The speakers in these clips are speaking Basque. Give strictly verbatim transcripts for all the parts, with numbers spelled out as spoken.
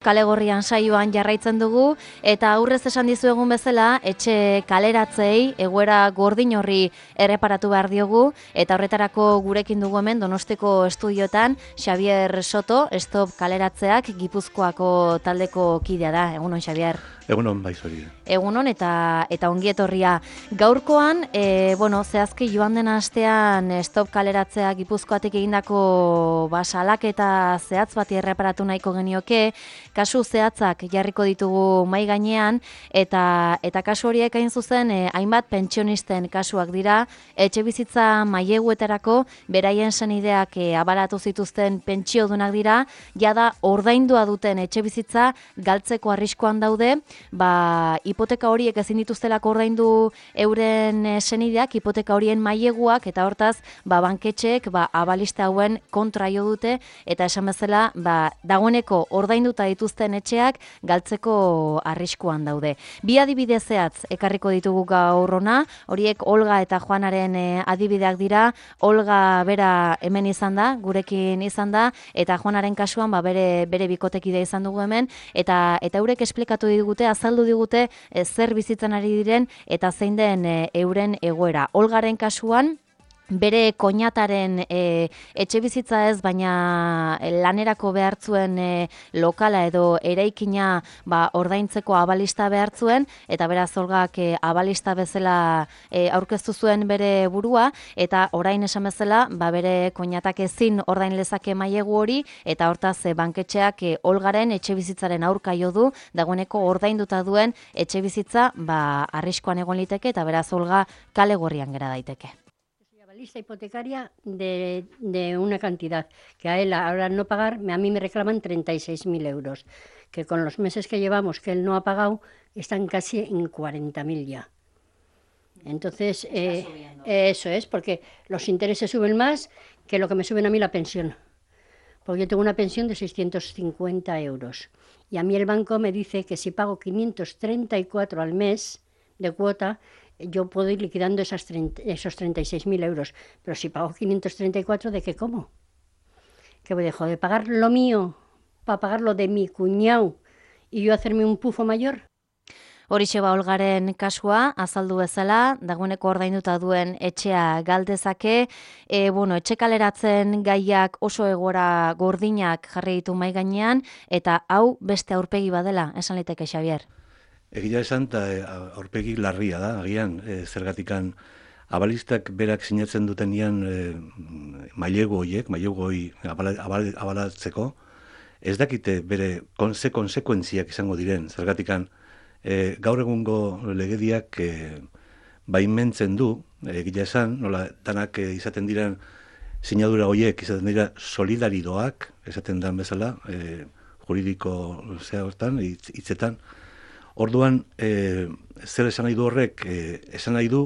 Kale Gorrian saioan jarraitzen dugu eta aurrez esan dizuegun bezala etxe kaleratzei egoera gordin horri erreparatu behar diogu eta horretarako gurekin dugu hemen Donostiko estudiotan Xabier Soto, Stop Kaleratzeak Gipuzkoako taldeko kidea da. Egunon, Xabier. Egunon, bai zori. Egunon eta eta ongi etorria. Gaurkoan, e, bueno, zehazki joan den astean Stop Kaleratzea Gipuzkoatik egindako ba, salaketa zehatz bati erreparatu nahiko genioke. Kasu zehatzak jarriko ditugu mai gainean eta eta kasu horiek hain zuzen eh, hainbat pentsionisten kasuak dira, etxe bizitza maileguetarako beraien senideak eh, abalatu zituzten pentsiodunak dira, jada ordaindua duten etxe bizitza galtzeko arriskuan daude, ba hipoteka horiek ezin dituztelako ordaindu euren eh, senideak, hipoteka horien maileguak eta hortaz ba banketxeek ba abalista hauen kontra jo dute eta esan bezala ba dagoeneko ordainduta dituzten etxeak galtzeko arriskuan daude. Bi adibide zehatz ekarriko ditugu gaur hona, horiek Olga eta Juanaren eh, adibideak dira. Olga bera hemen izan da, gurekin izan da, eta Juanaren kasuan ba, bere bere bikotekidea izan dugu hemen, eta eta eurek esplikatu digute, azaldu digute eh, zer bizitzen ari diren eta zein den eh, euren egoera. Olgaren kasuan bere koinataren e, etxe bizitza ez, baina lanerako behartzuen e, lokala edo eraikina ba, ordaintzeko abalista behartzuen, eta beraz Olgak e, abalista bezala e, aurkeztu zuen bere burua, eta orain esan bezala ba, bere koinatak ezin ordain lezake mailegu hori, eta hortaz e, banketxeak e, Olgaren etxe bizitzaren aurka jo du, dagoeneko ordainduta duen etxe bizitza ba, arriskuan egon liteke, eta beraz Olga Kale Gorrian gera daiteke. Lista hipotecaria de, de una cantidad que a él ahora no pagar, a mí me reclaman treinta y seis mil euros, que con los meses que llevamos que él no ha pagado están casi en cuarenta mil ya. Entonces, eh, eso es, porque los intereses suben más que lo que me suben a mí la pensión. Porque yo tengo una pensión de seiscientos cincuenta euros y a mí el banco me dice que si pago quinientos treinta y cuatro al mes de cuota, yo puedo ir liquidando esas treinta, esos treinta y seis mil euros, pero si pago quinientos treinta y cuatro, ¿de qué como? ¿Que voy dejo de pagar lo mío para pagar lo de mi cuñado y yo hacerme un pufo mayor? Horixe ba Olgaren kasua, azaldu bezala, dagoeneko ordainduta duen etxea galdezake, e, bueno, etxe kaleratzen gaiak oso egora gordinak jarri ditu mai gainean, eta hau beste aurpegi badela, esan liteke Xabier. Egia esan, eta aurpegi larria da, agian, e, zergatikan abalistak berak sinatzen dutenian e, mailegu horiek, mailegu hori abala, abal, abalatzeko, ez dakite bere konse konsekuentziak izango diren, zergatikan e, gaur egungo legediak e, baimentzen du, egia esan, nola danak e, izaten diren sinadura horiek, izaten dira solidaridoak, esaten dan bezala, e, juridiko zea hortan, hitzetan. Orduan, e, zer esan nahi du horrek, e, esan nahi du,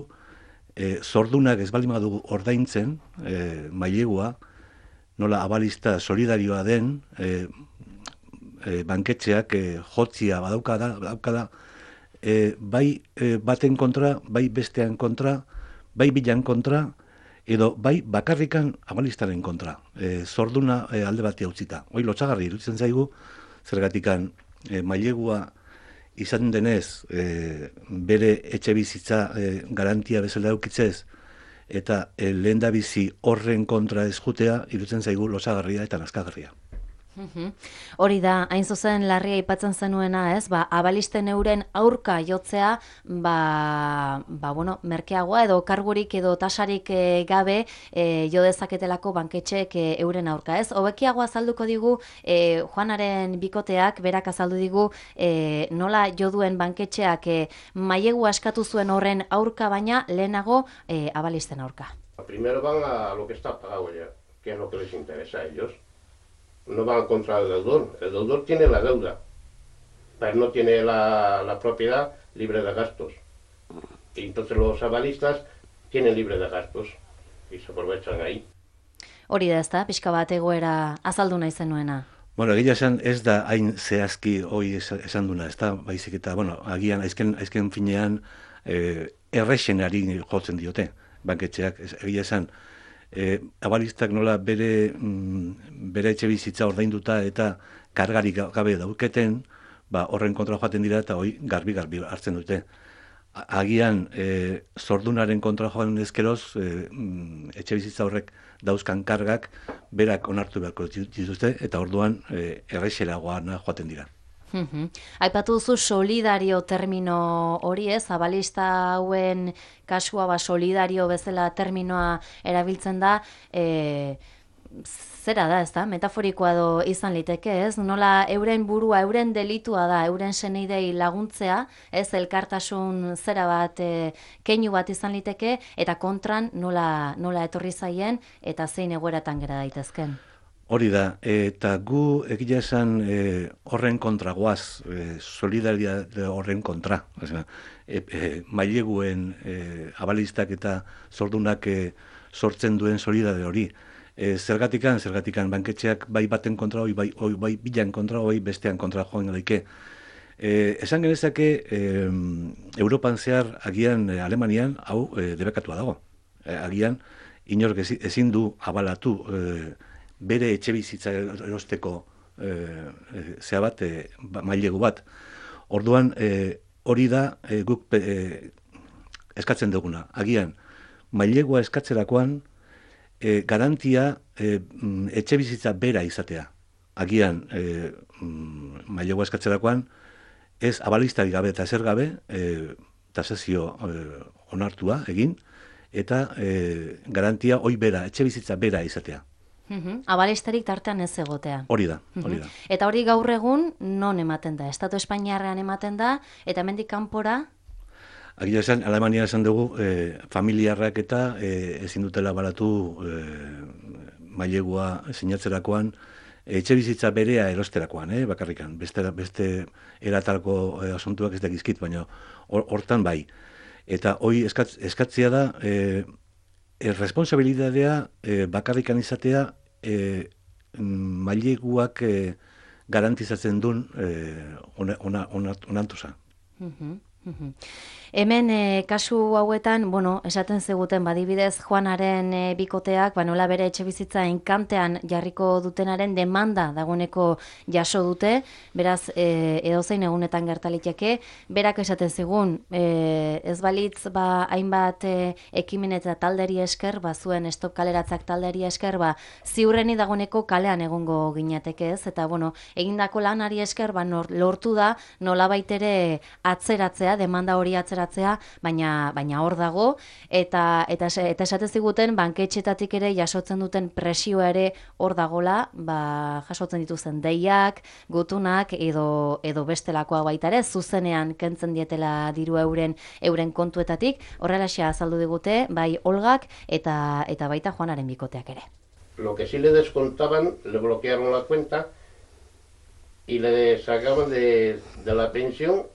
e, zordunak ez baldin badu ordaintzen, e, mailegua, nola abalista solidarioa den, e, e, banketxeak e, jotzia badaukada, badaukada e, bai e, baten kontra, bai bestean kontra, bai bilan kontra, edo bai bakarrikan abalistaren kontra, e, zorduna e, alde batia utzita. Hoi lotsagarri iruditzen zaigu, zergatikan e, mailegua izan denez, e, bere etxe bizitza e, garantia bezala eukitzez, eta e, lehen da bizi horren kontra ezjutea, irutzen zaigu losagarria eta nazkagarria. Hori da, hain zuzen larria aipatzen zenuena, ez? Ba, abalisten euren aurka jotzea, ba, ba bueno, merkeagoa edo kargurik edo tasarik e, gabe e, jo dezaketelako banketxek e, euren aurka, ez? Hobekiago azalduko digu e, Juanaren bikoteak, berak azaldu digu e, nola jo duen banketxeak e, mailegu askatu zuen horren aurka, baina lehenago e, abalisten aurka. Primero van a lo que está pagado ya, que es lo que les interesa a ellos. No van contra el deudor. El deudor tiene la deuda, pero no tiene la, la propiedad libre de gastos. Y entonces los avalistas tienen libre de gastos y se aprovechan ahí. Hori da, ezta, pixka bat egoera azaldu nahi zenuena. Bueno, egia esan ez da hain zehazki hoi esan duna, ez da, baizik eta, bueno, agian aizken, aizken finean eh, errexenari jotzen diote, banketxeak, egia esan, E, abalistak nola bere, mm, bere etxe bizitza ordainduta eta kargarik gabe dauketen, ba, horren kontra joaten dira eta hoi garbi-garbi hartzen dute. Agian, e, zordunaren kontra joan ezkeroz, e, etxe bizitza horrek dauzkan kargak, berak onartu beharko dituzte, eta orduan e, errexelagoan joaten dira. Uhum. Aipatu duzu solidario termino hori ez, abalista hauen kasua ba solidario bezala terminoa erabiltzen da, e, zera da, ez da, metaforikoa do izan liteke, ez? Nola euren burua, euren delitua da, euren seneidei laguntzea, ez, elkartasun zera bat, e, keinu bat izan liteke, eta kontran nola, nola etorri zaien, eta zein egoeratan gera daitezken. Hori da, eta gu egia esan e, horren kontra goaz, e, solidaridade horren kontra. Osea, e, e, maileguen e, abalistak eta zordunak e, sortzen duen solidade hori. E, zergatikan, zergatikan banketxeak bai baten kontra, oi bai, oi bai bilan kontra, oi bestean kontra joan daike. E, esan genezake, e, Europan zehar agian e, Alemanian hau e, debekatua dago. E, agian inork ezin du abalatu e, bere etxe bizitza erosteko e, e, zea bat, e, mailegu bat. Orduan, e, hori da e, guk e, eskatzen duguna. Agian, mailegua eskatzerakoan, e, garantia e, etxe bizitza bera izatea. Agian, e, mailegua eskatzerakoan, ez abalistari gabe eta zer gabe, e, tasazio e, onartua egin, eta e, garantia hoi bera, etxe bizitza bera izatea. Uhum. Abalistarik tartean ez egotea. Hori da, hori da. Uhum. Eta hori gaur egun non ematen da? Estatu Espainiarrean ematen da, eta hemendik kanpora? Agia esan, Alemania esan dugu, e, familiarrak eta e, ezin dutela balatu e, mailegua sinatzerakoan, etxe bizitza berea erosterakoan, eh, bakarrikan. Beste, beste eratalko e, asuntuak ez dakizkit, baina hortan or, bai. Eta hoi eskatz, eskatzia da, e, responsabilidadea e, bakarrikan izatea e, maileguak e, garantizatzen duen e, ona, ona, ona, onantuza. Uh-huh, uh-huh. Hemen e, kasu hauetan, bueno, esaten zeguten badibidez Juanaren e, bikoteak, ba nola bere etxe bizitza enkantean jarriko dutenaren demanda dagoeneko jaso dute, beraz e, edozein egunetan gertaliteke, berak esaten zigun, e, ez balitz ba hainbat e, ekimen eta talderi esker, ba zuen stop kaleratzak talderi esker, ba ziurreni dagoeneko kalean egongo ginateke, ez? Eta bueno, egindako lanari esker, ba nor, lortu da nolabait ere atzeratzea, demanda hori atzeratzea, baina baina hor dago eta eta eta esate ziguten banketxetatik ere jasotzen duten presioa ere hor dagola, ba jasotzen dituzten deiak, gutunak edo edo bestelakoa baita ere zuzenean kentzen dietela diru euren euren kontuetatik. Horrelaxe azaldu digute bai Olgak eta eta baita Juanaren bikoteak ere. Lo que sí le descontaban, le bloquearon la cuenta y le sacaban de, de la pensión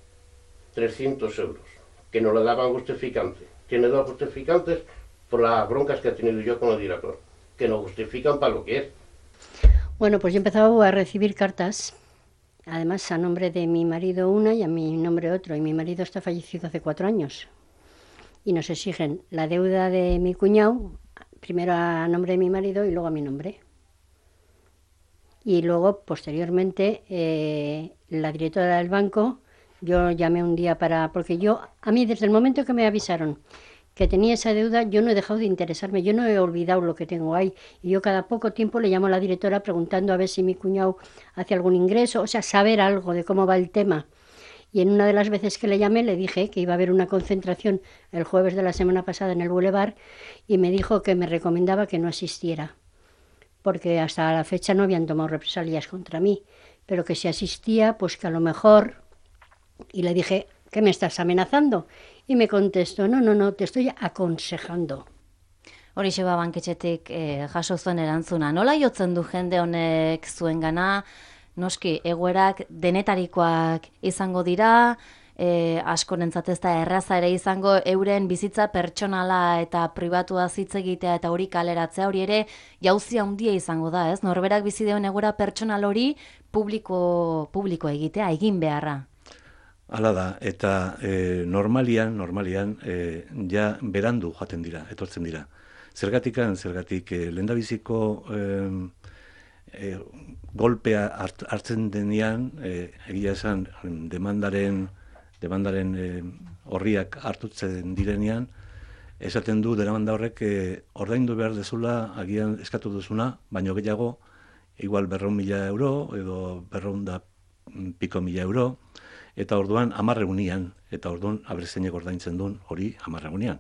trescientos euros, que no le daban justificante. Tiene dos justificantes por las broncas que he tenido yo con el director, que no justifican para lo que es. Bueno, pues yo he empezado a recibir cartas, además a nombre de mi marido una y a mi nombre otro, y mi marido está fallecido hace cuatro años. Y nos exigen la deuda de mi cuñado, primero a nombre de mi marido y luego a mi nombre. Y luego, posteriormente, eh, la directora del banco, yo llamé un día para... Porque yo, a mí desde el momento que me avisaron que tenía esa deuda, yo no he dejado de interesarme, yo no he olvidado lo que tengo ahí. Y yo cada poco tiempo le llamo a la directora preguntando a ver si mi cuñado hace algún ingreso, o sea, saber algo de cómo va el tema. Y en una de las veces que le llamé le dije que iba a haber una concentración el jueves de la semana pasada en el Boulevard y me dijo que me recomendaba que no asistiera, porque hasta la fecha no habían tomado represalias contra mí, pero que si asistía, pues que a lo mejor... Y le dije, ¿qué me estás amenazando? Y me contestó, no, no, no, te estoy aconsejando. Horixe ba banketxetik eh, jaso zuen erantzuna. Nola jotzen du jende honek zuengana? Noski, egoerak denetarikoak izango dira, eh, askorentzat ez da erraza ere izango euren bizitza pertsonala eta pribatua hitz egitea eta hori kaleratzea, hori ere jauzi handia izango da, ez? Norberak bizi duen egoera pertsonal hori publiko, publiko egitea, egin beharra. Hala da, eta e, normalian, normalian, e, ja berandu joaten dira, etortzen dira. Zergatikan, zergatik, e, lehendabiziko e, e, golpea hart, hartzen denean, e, egia esan demandaren, demandaren e, horriak hartutzen direnean, esaten du demanda horrek e, ordaindu behar dezula agian eskatu duzuna, baino gehiago, igual berreun mila euro edo berreun da piko mila euro, eta orduan hamarregunian, eta orduan abrezeinek ordaintzen duen hori hamarregunian.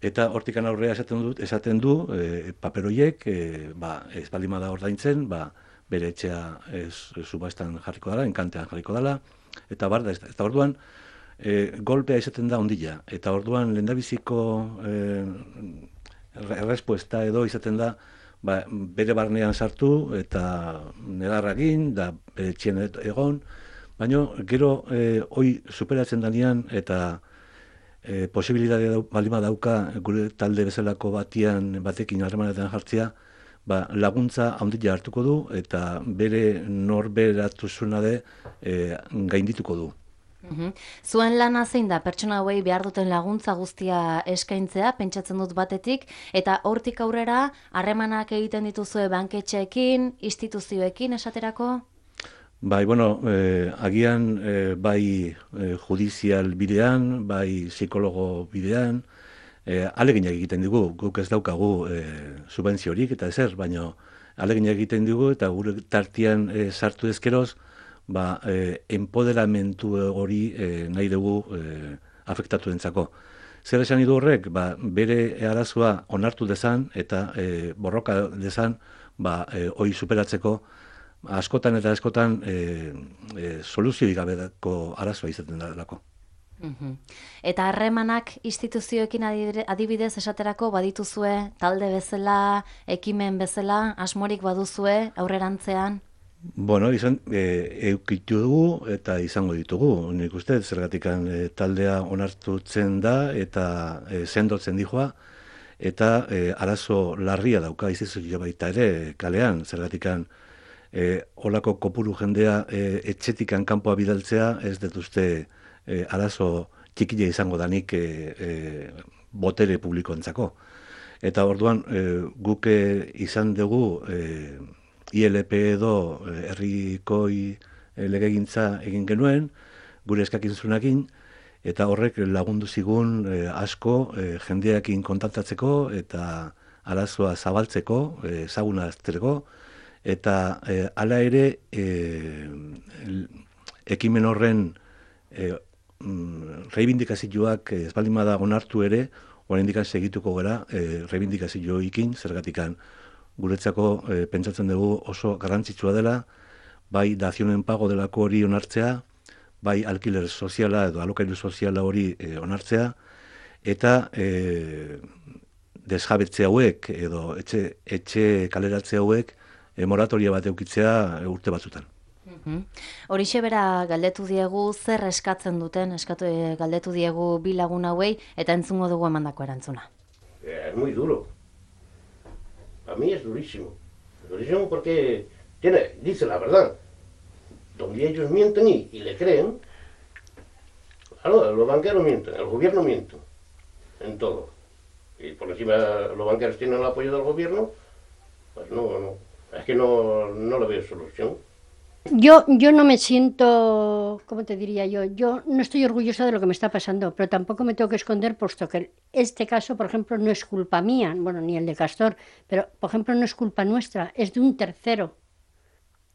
Eta hortikan aurrea esaten du, esaten du e, paperoiek, e, ba, ez baldin bada ordaintzen, ba, bere etxea ez, ez subastan jarriko dela, enkantean jarriko dela, eta bar da, eta orduan e, golpea izaten da ondila, eta orduan lehendabiziko e, errespuesta edo izaten da, ba, bere barnean sartu eta negarragin, da bere etxean egon, baina gero e, hoi superatzen danean eta e, posibilitatea baldin badauka gure talde bezalako batian batekin harremanetan jartzea, ba, laguntza handila hartuko du eta bere norberatuzuna de e, gaindituko du. Uhum. Zuen lana zein da pertsona hauei behar duten laguntza guztia eskaintzea, pentsatzen dut batetik, eta hortik aurrera harremanak egiten dituzue banketxeekin, instituzioekin esaterako? Bai, bueno, eh, agian eh, bai eh, judizial bidean, bai psikologo bidean, eh, aleginak egiten dugu, guk ez daukagu eh, subentziorik eta ezer, baina aleginak egiten dugu eta gure tartian eh, sartu ezkeroz, ba, eh, empoderamentu hori eh, nahi dugu eh, afektatu dentzako. Zer esan du horrek, ba, bere arazoa onartu dezan eta eh, borroka dezan, ba, eh, hori superatzeko, askotan eta askotan e, e, soluzioik gabeko arazoa izaten delako. Uhum. Eta harremanak instituzioekin adibidez esaterako badituzue talde bezala, ekimen bezala, asmorik baduzue aurrerantzean? Bueno, izan, e, eukitu dugu eta izango ditugu. Nik uste, zergatikan e, taldea onartutzen da eta e, sendotzen dijoa, eta e, arazo larria dauka izizio baita ere kalean, zergatikan E, olako kopuru jendea e, etxetikan kanpoa bidaltzea ez dut uste e, arazo txikile izango danik e, e, botere publikoentzako. Eta orduan e, guke izan dugu e, I L P edo e, herrikoi e, legegintza egin genuen, gure eskakinzunakin, eta horrek lagundu zigun e, asko e, jendeakin kontaktatzeko eta arazoa zabaltzeko, e, ezaguna aztereko, eta e, ala ere e, ekimen horren e, mm, reibindikazioak ez baldin bada onartu ere, oraindik segituko gara e, reibindikazioekin, zergatikan guretzako e, pentsatzen dugu oso garrantzitsua dela, bai dazionen pago delako hori onartzea, bai alkiler soziala edo alokairu soziala hori e, onartzea, eta e, desjabetze hauek edo etxe, etxe kaleratze hauek E, moratoria bat eukitzea urte batzutan. Mm-hmm. Horixe bera galdetu diegu zer eskatzen duten, eskatu e, galdetu diegu bi lagun hauei eta entzungo dugu emandako erantzuna. Es muy duro. A mí es durísimo. Durísimo porque tiene, dice la verdad. Donde ellos mienten y, y le creen, claro, los banqueros mienten, el gobierno miente, en todo. Y por encima los banqueros tienen el apoyo del gobierno, pues no, no. Es que no, no le veo solución. Yo, yo no me siento, ¿cómo te diría yo? Yo no estoy orgullosa de lo que me está pasando, pero tampoco me tengo que esconder, puesto que este caso, por ejemplo, no es culpa mía, bueno, ni el de Castor, pero, por ejemplo, no es culpa nuestra, es de un tercero.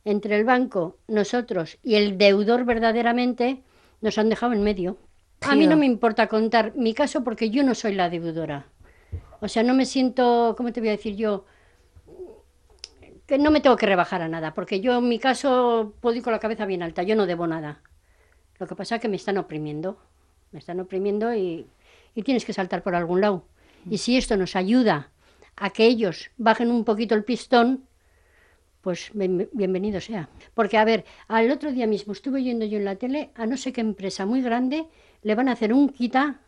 Entre el banco, nosotros y el deudor verdaderamente, nos han dejado en medio. A mí no me importa contar mi caso porque yo no soy la deudora. O sea, no me siento, ¿cómo te voy a decir yo? Que no me tengo que rebajar a nada, porque yo en mi caso puedo ir con la cabeza bien alta, yo no debo nada. Lo que pasa es que me están oprimiendo, me están oprimiendo y, y tienes que saltar por algún lado. Y si esto nos ayuda a que ellos bajen un poquito el pistón, pues bien, bienvenido sea. Porque, a ver, al otro día mismo estuve oyendo yo en la tele a no sé qué empresa muy grande le van a hacer un quita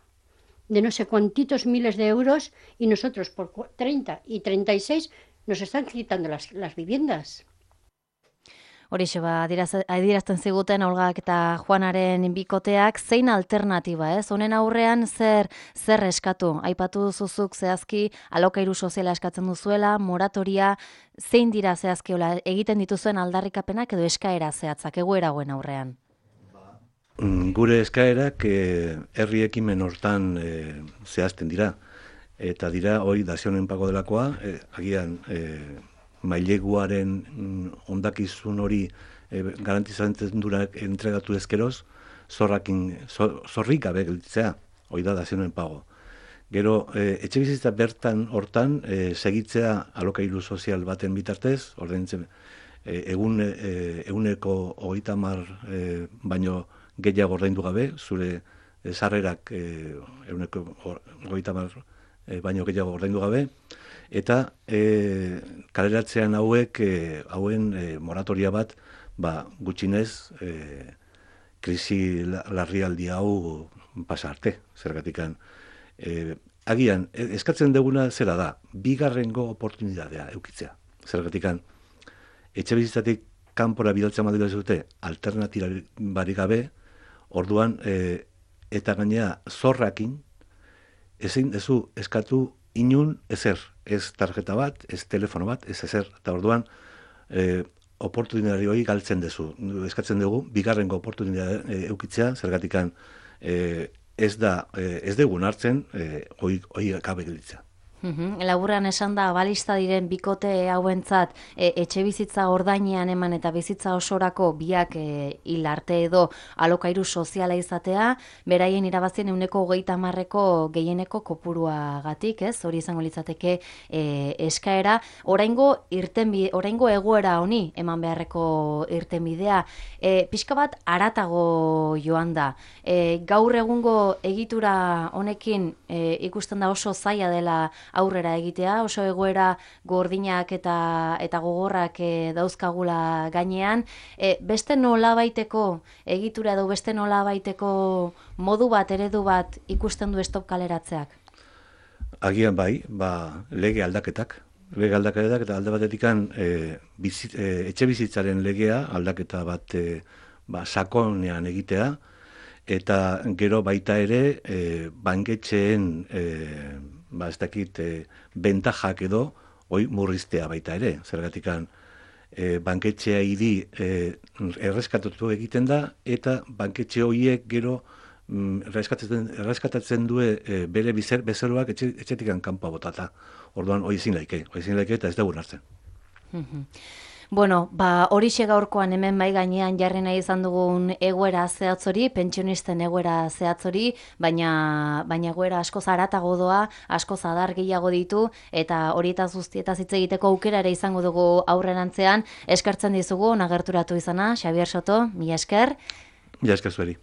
de no sé cuantitos miles de euros y nosotros por treinta y treinta y seis nos están quitando las, las viviendas. Horixe ba, adierazten ziguten Olgak eta Juanaren bikoteak, zein alternatiba, ez? Honen aurrean zer zer eskatu? Aipatu duzuzuk zehazki alokairu soziala eskatzen duzuela, moratoria, zein dira zehazki hola, egiten dituzuen aldarrikapenak edo eskaera zehatzak egoera hauen aurrean? Gure eskaerak eh, herri ekimen hortan eh, zehazten dira. Eta dira, hori dazionen pago delakoa, eh, agian eh, maileguaren mm, ondakizun hori eh, garantizatzen durak entregatu ezkeroz, zorrakin, zor, zorrik gabe gelditzea, hori da dazionen pago. Gero, eh, etxe bizitza bertan hortan, eh, segitzea alokairu sozial baten bitartez, ordaintzen, eh, egun, eh, eguneko hogeita hamar eh, baino gehiago ordaindu gabe, zure eh, sarrerak eh, eguneko hogeita hamar E, baino gehiago ordaindu gabe, eta e, kaleratzean hauek, e, hauen e, moratoria bat, ba, gutxinez, e, krisi larrialdi hau pasa arte, zergatikan. E, agian, eskatzen duguna zera da, bigarrengo oportunidadea eukitzea, zergatikan. Etxe bizitzatik kanpora bidaltzen badira zute, alternatibarik gabe, orduan, e, eta gainea zorrakin, ezin dezu eskatu inun ezer, ez tarjeta bat, ez telefono bat, ez ezer, eta orduan e, oportunidari hori galtzen dezu. Eskatzen dugu, bigarrengo oportunidade e, eukitzea, zergatikan e, ez da, e, ez dugun hartzen, e, hoi, hoi gabe gelditzea. Uhum. Laburran esan da, balista diren bikote hauentzat e, etxe bizitza ordainean eman eta bizitza osorako biak e, hil arte edo alokairu soziala izatea, beraien irabazien euneko hogeita hamarreko gehieneko kopuruagatik, ez? Hori izango litzateke e, eskaera. Oraingo irtenbide, oraingo egoera honi eman beharreko irtenbidea, e, pixka bat haratago joan da. E, gaur egungo egitura honekin e, ikusten da oso zaila dela aurrera egitea, oso egoera gordinak eta eta gogorrak e, dauzkagula gainean, e, beste nolabaiteko egitura edo beste nolabaiteko modu bat, eredu bat ikusten du stop kaleratzeak? Agian bai, ba, lege aldaketak, lege aldaketak eta alde batetikan e, bizit, e, etxe bizitzaren legea aldaketa bat e, ba, sakonean egitea, eta gero baita ere e, banketxeen e, ba, ez dakit, e, bentajak edo, hoi murriztea baita ere, zergatikan e, banketxea idi e, erreskatatu egiten da, eta banketxe horiek gero mm, erreskatatzen, erreskatatzen du e, bere bizer, bezeroak etxe, etxetikan kanpoa botata. Orduan, hoi ezin laike, hoi ezin laike eta ez dugu hartzen. Bueno, ba, horixe gaurkoan hemen bai gainean jarri nahi izan dugun egoera zehatzori, pentsionisten egoera zehatzori, baina baina egoera asko zaratago doa, asko zadar gehiago ditu, eta horietaz guztietaz hitz egiteko aukera ere izango dugu aurrerantzean. Eskertzen dizugu, nagerturatu izana, Xabier Soto, mila esker. Mila esker zueri.